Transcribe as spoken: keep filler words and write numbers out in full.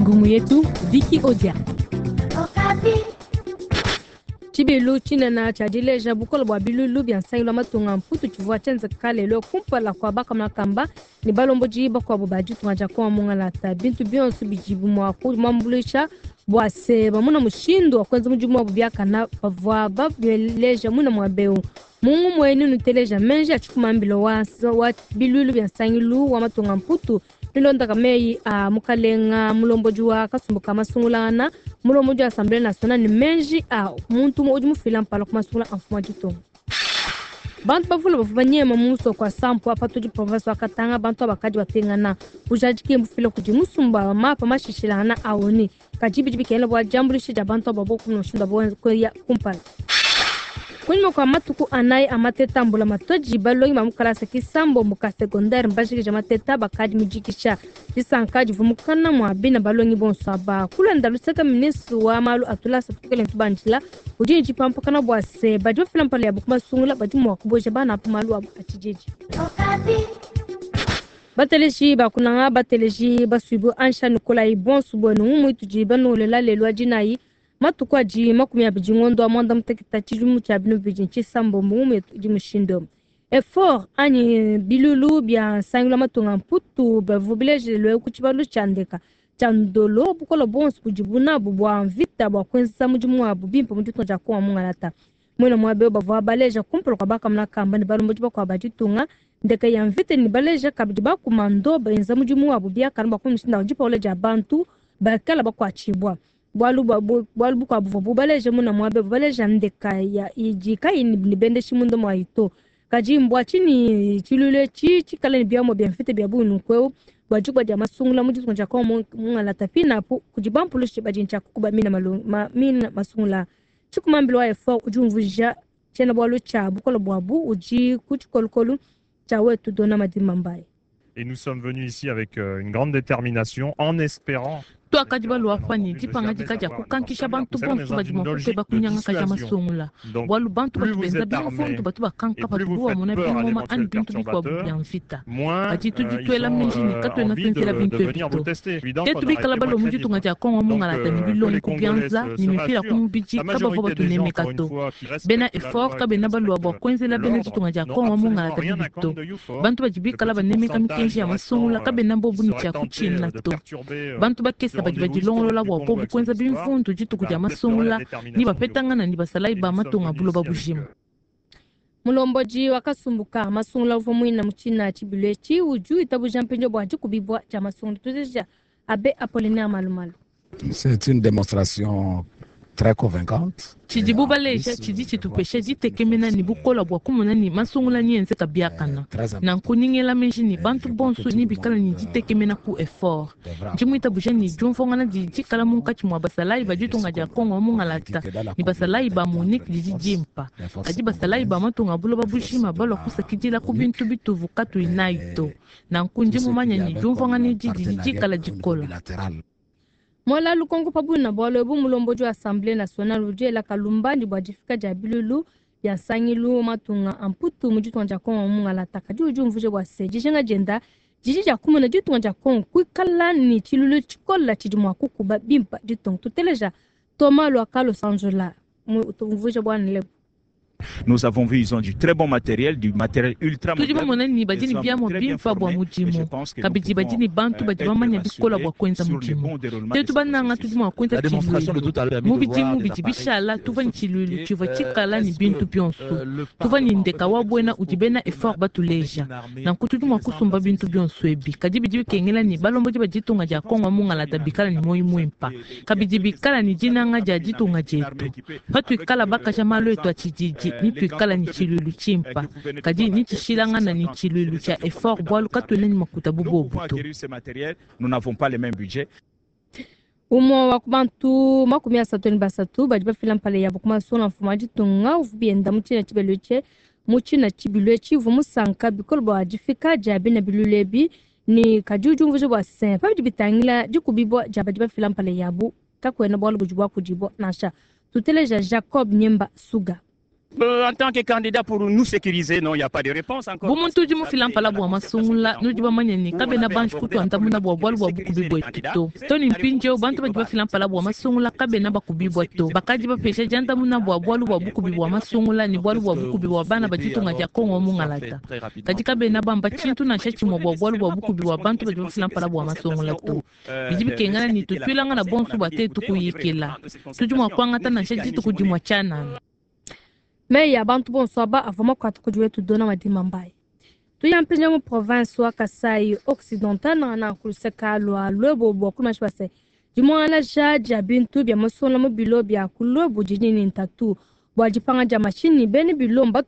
Ngumu yetu Vicky Odia. Tshibilu tshinene tshia dileja bukole bua biluilu bia nsangilu wa matunga mputu tshivua tshienzeka lelo kumpala kua bakamakamba ne balombodi bakuabu ba ditunga dia Kongo mungalata. Bintu bionso bidibu mua kumuambuluisha bua se bamona mushindu wa kuenza mudimu wabu biakana bavua babeleja muna muaba eu. Mungu muenu nuteleja menji a tshikumambilo wa, wa biluilu bia nsangilu wa matunga mputu milondaka meyi a mukalenga mulombodi wa kasumbu ka masungulangana mulombodi wa Assemblée nationale ne menji a muntu umue udi mufila mpala ku masungula a mfumu wa ditunga. Bantu bavule bavua banyema mu musoko wa Sampu apa tudi province wa Katanga, bantu abakadi bapingana. Bujadiki mbufila kudi musumba wa mapa mashishilangana a O N U, kadi bidi bikengela bua diambuluisha dia bantu aba bokumona mushindu wa kuya kumpala. Kunyima kua matuku anayi a mateta mbula matodi, balongi ba mu kalasa kisambombo ka secondaire mbajikija mateta, bakadi mujikisha. Disanka divua mukana mua bina balongi bonso aba. Kulanda luseka, ministre wa malu a tulasa tukele ntubandila udi ne dipampakana bua se badi bafila mpala yabu ku masungula badi mua kuboja bana apo malu abu a tshididi. Bateleji bakunanga, bateleji basuibu, ansha nikolayi bonso bwenu ngumu itudi banolela lelo adinayi, matuku adi makumi abidi ngondo wa mwanda muteketa tshidimu tshia binu bibidi tshisambombo. Ngumu yetu idi mushindu effort anyi bilulu bia nsangilu wa matunga mputu bavua bilejelwe ku tshibalu tshia ndeka tshia Ndolo bukole bonso budibu nabu bua mvita bua kuenza mudimu wabu bimpe mu ditunga dia Kongo mungalata. Muena muaba bavua baleja kumpala kua bakamuna kamba ne balombodi bakuabu ba ditunga ndeka ya mvita ne baleja kabidi bakomando benza mudimu wabu biakana bua kumushinda dipaula dia bantu bakala bakuatshibua. Bualu bualu bukuabu buvua bubaleja muna muaba baleja ndeka ya idi kayi ne bendeshi munda muayi to. Kadi mbua tshinyi tshiluilu etshi tshikale ne biamua bia mvita bia bungi nunku bua dikuba dia masungula mu ditunga dia Kongo mungalata? Pinapu kudi bampulushi badi ntshia kukuba mina ma, mina masungula. Tshikumambilo wa effort udi umvuija tshiena-bualu tshia bukole buabu udi ku tshikolokolo tshia wetu Dona Madimba Mbaye. Et nous sommes venus ici avec euh, une grande détermination en espérant Twakadi balwa fanyi dipangadika dia kukankisha bantu bonso badi mua kukeba kunyangaka dia masungula, bualu bantu batu benza bimvundu batu bakanka patubu bamona bingoma ani bintu bikuabu bia mvita. Kadi tudi tuela meji ne katuena tuenzela bintu ebi to. Tetu bikala balwa mu ditunga dia Kongo mungalata ne bilongo ku bianza ne mipila ku mubidi, kabavua batunemeka to. Bena effort kabena balwa bua kuenzela bena ditunga dia Kongo mungalata bibi to. Bantu badi bikala banemeka mikenji ya masungula kabena bobu ne tshia kutshina to. Bantu bakesa badi badilongolola bua bobu kuenza bimvundu dituku dia masungula ni bapetangana ni basalayi ba matunga buloba bujima. Mulombodi wa kasumbu ka masungula uvua muina mu tshina tshibilu etshi udi witabuja mpindieu bua dikubibua dia masungula. Tuzeja abe Apollinaire Malumalu. C'est une démonstration très convaincante. Tshidibu baleja tshidi tshitupesha ditekemena ne bukola bua kumona ne masungula ni enzeka biakana. Nanku ningela meji ne bantu bonso ni bikala ne ditekemena ku effort. Ndi muitabuja ne diumvuangana didi dikala munkatshi mua basalayi ba ditunga dia Kongo mungalata ne basalayi ba MONUC didi dimpa, kadi basalayi ba matunga buloba bujima balua kusakidila ku bintu bituvu katuyi nayi to. Nanku ndi mumanya ne diumvuangana edi didi dikala dikola. Mola lukonko pa buna bualu ebu, mulombodi wa Assemblée nationale udi ela kalumbandi bua difika dia bilulu bia nsangilu matunga a mputu mu ditunga dia Kongo mungalata, kadi udi umvuija bua se dijinga dienda didi dia kumona ditunga dia Kongo kuikala ne tshiluilu tshikola tshidi mua kukuba bimpa ditunga. Tuteleja Thomas Luakalo Sanzola umvuija bua lebu. Nous avons vu, ils ont du très bon matériel, du matériel ultra Tudi bamona ne badi ne biamua bimpa bua mudimu, kabidi badi ne bantu badi bamanya bikola bua kuenza mudimu. Tetu bananga tudi mua kuenza tshiluilu. Mu bidimu bidi bishala tuvua ne tshiluilu tshivua tshikala ne bintu bionso, tuvua ne ndeka wa buena udi bena effort batuleja. Nanku tudi mua kusumba bintu bionso ebi, kadi bidi bikengela ne balombodi ba ditunga dia Kongo mungalata bikala ne muoyo muimpa, kabidi bikala ne dinanga dia ditunga dietu. Patuikala bakaja malu etu a tshididi ni tuikala ne tshiluilu tshimpa, kadi ni tshishilangana ne tshiluilu tshia effort, bualu katuena ne makuta bu bobu to. Nous n'avons pas le même budget. Umue wa ku bantu makumi asatu ne basatu badi bafila mpala yabo ku masungula mfumu wa ditunga uvua bienda mu tshina tshibilu etshi mu tshina tshibilu etshi uvua musanka bikole bua difika dia bina biluilu ebi ne kadi udi umvuija bua se pa bidi bitangila dikubibua dia badi bafila mpala yabu kakuena bualu budi buakudibua nansha. Tuteleja Jacob Nyemba Suga. En tant que candidat pour nous sécuriser, non, il n'y a pas de réponse encore. Bu muntu udi mufila mpala bua masungula nudi bamanye ne kabena banji kutuandamuna bua bualu bua bukubi buetu to to ne mpindieu bantu badi bafila mpala bua masungula kabena bakubibua to bakadi bapesha diandamuna bua bualu bua bukubi bua masungula ne bualu bua bukubi bua bana ba ditunga dia Kongo mungalata kadi kabena bamba tshintu nansha tshimue bua bualu bua bukubi bua bantu badi bafila mpala bua masungula to bidi bikengela ne tutuilangana bonso bua tetu kuyikila tudi mua kuangata nansha dituku dimue tshianana. Meyi a bantu bonso aba avua makuata kudi wetu dona madima mbayi tuya mu province wa Kasai Occidental na kuluseka lua Luebo bua kumanyishi base dimuangalaja dia bintu bia masungula mu bilo bia ku Luebo didi ne ntatu bua dipanga dia mashinyi bene bilo mbatu